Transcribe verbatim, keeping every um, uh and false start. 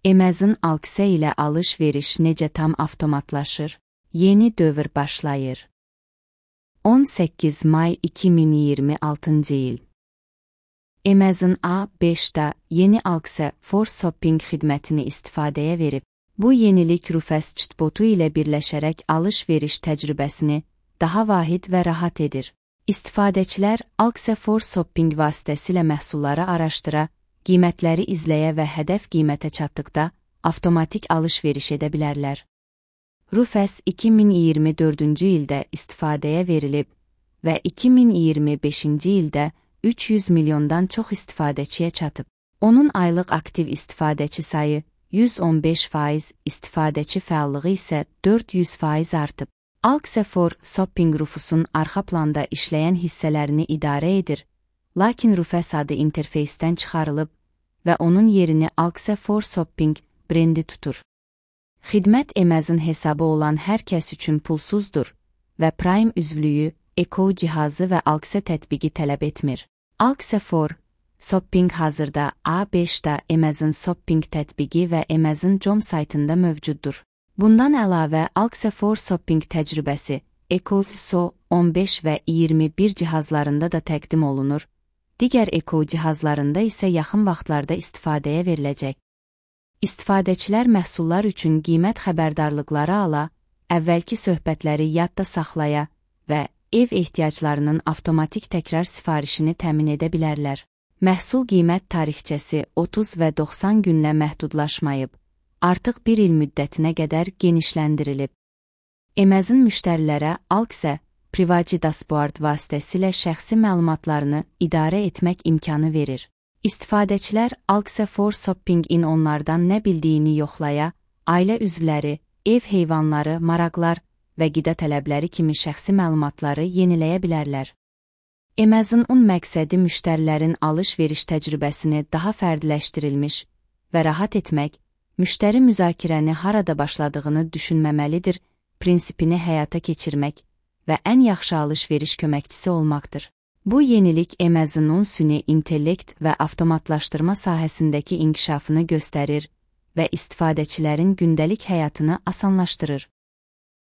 Amazon Alexa ilə alış-veriş necə tam avtomatlaşır? Yeni dövr başlayır. on səkkiz may iki min iyirmi altıncı il. Amazon A beşdə yeni Alexa for Shopping xidmətini istifadəyə verib. Bu yenilik Rufus chatbotu ilə birləşərək alış-veriş təcrübəsini daha vahid və rahat edir. İstifadəçilər Alexa for Shopping vasitəsilə məhsulları araşdıra, qiymətləri izləyə və hədəf qiymətə çatdıqda avtomatik alış-veriş edə bilərlər. Rufus iki min iyirmi dördüncü ildə istifadəyə verilib və iki min iyirmi beşinci ildə üç yüz milyondan çox istifadəçiyə çatıb. Onun aylıq aktiv istifadəçi sayı yüz on beş faiz, istifadəçi fəallığı isə dörd yüz faiz artıb. Alexa for Shopping Rufusun arxa planda işləyən hissələrini idarə edir, lakin Rufus adı interfeysdən çıxarılıb və onun yerini Alexa for Shopping brendi tutur. Xidmət Amazon hesabı olan hər kəs üçün pulsuzdur və Prime üzvlüyü, Echo cihazı və Alexa tətbiqi tələb etmir. Alexa for Shopping hazırda A beşdə Amazon Shopping tətbiqi və Amazon nöqtə com saytında mövcuddur. Bundan əlavə Alexa for Shopping təcrübəsi Echo So on beş və iyirmi bir cihazlarında da təqdim olunur, digər Echo cihazlarında isə yaxın vaxtlarda istifadəyə veriləcək. İstifadəçilər məhsullar üçün qiymət xəbərdarlıqları ala, əvvəlki söhbətləri yadda saxlaya və ev ehtiyaclarının avtomatik təkrar sifarişini təmin edə bilərlər. Məhsul qiymət tarixçəsi otuz və doxsan günlə məhdudlaşmayıb, artıq bir il müddətinə qədər genişləndirilib. Amazon müştərilərə Alexa Privacy Dashboard vasitəsilə şəxsi məlumatlarını idarə etmək imkanı verir. İstifadəçilər Alexa for Shopping-in onlardan nə bildiyini yoxlaya, ailə üzvləri, ev heyvanları, maraqlar və qida tələbləri kimi şəxsi məlumatları yeniləyə bilərlər. Amazon-un məqsədi müştərilərin alış-veriş təcrübəsini daha fərdiləşdirilmiş və rahat etmək, müştəri müzakirəni harada başladığını düşünməməlidir, prinsipini həyata keçirmək və ən yaxşı alış-veriş köməkçisi olmaqdır. Bu yenilik Amazon-un süni intellekt və avtomatlaşdırma sahəsindəki inkişafını göstərir və istifadəçilərin gündəlik həyatını asanlaşdırır.